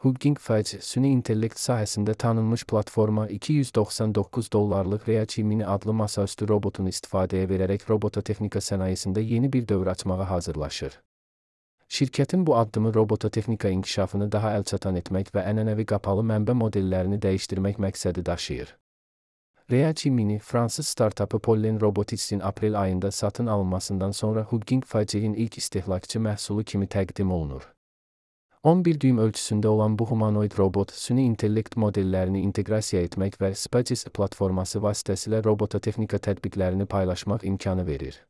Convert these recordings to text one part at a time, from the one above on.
Hugging Face, süni intellekt sahəsində tanınmış platforma $299 Reachi Mini adlı masaüstü robotunu istifadəyə verərək robototexnika sənayesində yeni bir dövr açmağa hazırlaşır. Şirkətin bu addımı robototexnika inkişafını daha əlçatan etmək və ənənəvi qapalı mənbə modellərini dəyişdirmək məqsədi daşıyır. Reachi Mini, fransız startapı Pollen Robotics'in aprel ayında satın alınmasından sonra Hugging Face'in ilk istehlakçı məhsulu kimi təqdim olunur. 11 düym ölçüsündə olan bu humanoid robot, süni intellekt modellərini inteqrasiya etmək və Spaces platforması vasitəsilə robototexnika tətbiqlərini paylaşmaq imkanı verir.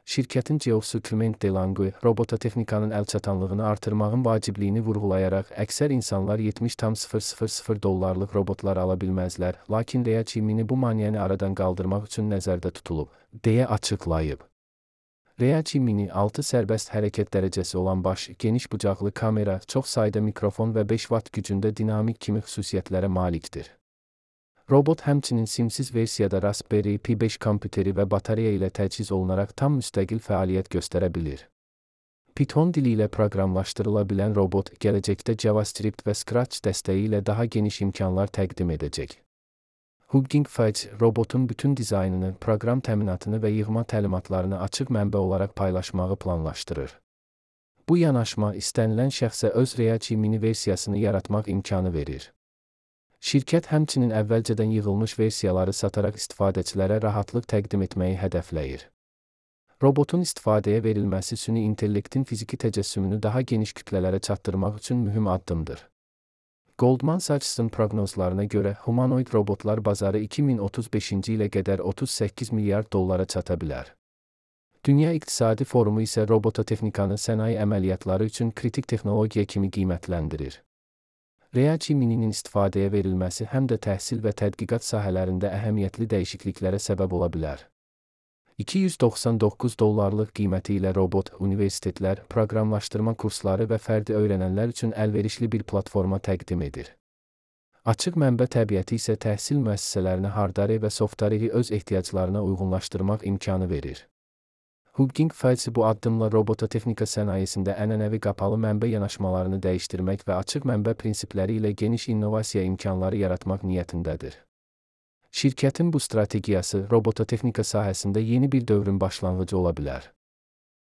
Şirkətin CEO-su Clement Delangue, robototexnikanın əlçatanlığını artırmağın vacibliyini vurğulayaraq, əksər insanlar $70,000 robotlar ala bilməzlər, lakin Reachi Mini bu maneəni aradan qaldırmaq üçün nəzərdə tutulub, deyə açıqlayıb. Reachi Mini 6 sərbəst hərəkət dərəcəsi olan baş, geniş bucaqlı kamera, çox sayda mikrofon və 5 watt gücündə dinamik kimi xüsusiyyətlərə malikdir. Robot həmçinin simsiz versiyada Raspberry Pi 5 kompüteri və batareya ilə təchiz olunaraq tam müstəqil fəaliyyət göstərə bilir. Python dili ilə proqramlaşdırıla bilən robot, gələcəkdə JavaScript və Scratch dəstəyi ilə daha geniş imkanlar təqdim edəcək. Hugging Face, robotun bütün dizaynını, proqram təminatını və yığma təlimatlarını açıq mənbə olaraq paylaşmağı planlaşdırır. Bu yanaşma, istənilən şəxsə öz Reachi Mini versiyasını yaratmaq imkanı verir. Şirkət həmçinin əvvəlcədən yığılmış versiyaları sataraq istifadəçilərə rahatlıq təqdim etməyi hədəfləyir. Robotun istifadəyə verilməsi süni intellektin fiziki təcəssümünü daha geniş kütlələrə çatdırmaq üçün mühüm addımdır. Goldman Sachs'ın proqnozlarına görə, humanoid robotlar bazarı 2035-ci ilə qədər $38 milyard çata bilər. Dünya İqtisadi Forumu isə robototexnikanı sənaye əməliyyatları üçün kritik texnologiya kimi qiymətləndirir. Reachi Mini'nin istifadəyə verilməsi həm də təhsil və tədqiqat sahələrində əhəmiyyətli dəyişikliklərə səbəb ola bilər. $299 qiyməti ilə robot, universitetlər, proqramlaşdırma kursları və fərdi öyrənənlər üçün əlverişli bir platforma təqdim edir. Açıq mənbə təbiəti isə təhsil müəssisələrinə hardware və softwareri öz ehtiyaclarına uyğunlaşdırmaq imkanı verir. Hugging Face bu addımla robototexnika sənayesində ənənəvi qapalı mənbə yanaşmalarını dəyişdirmək və açıq mənbə prinsipləri ilə geniş innovasiya imkanları yaratmaq niyyətindədir. Şirkətin bu strategiyası robototexnika sahəsində yeni bir dövrün başlanğıcı ola bilər.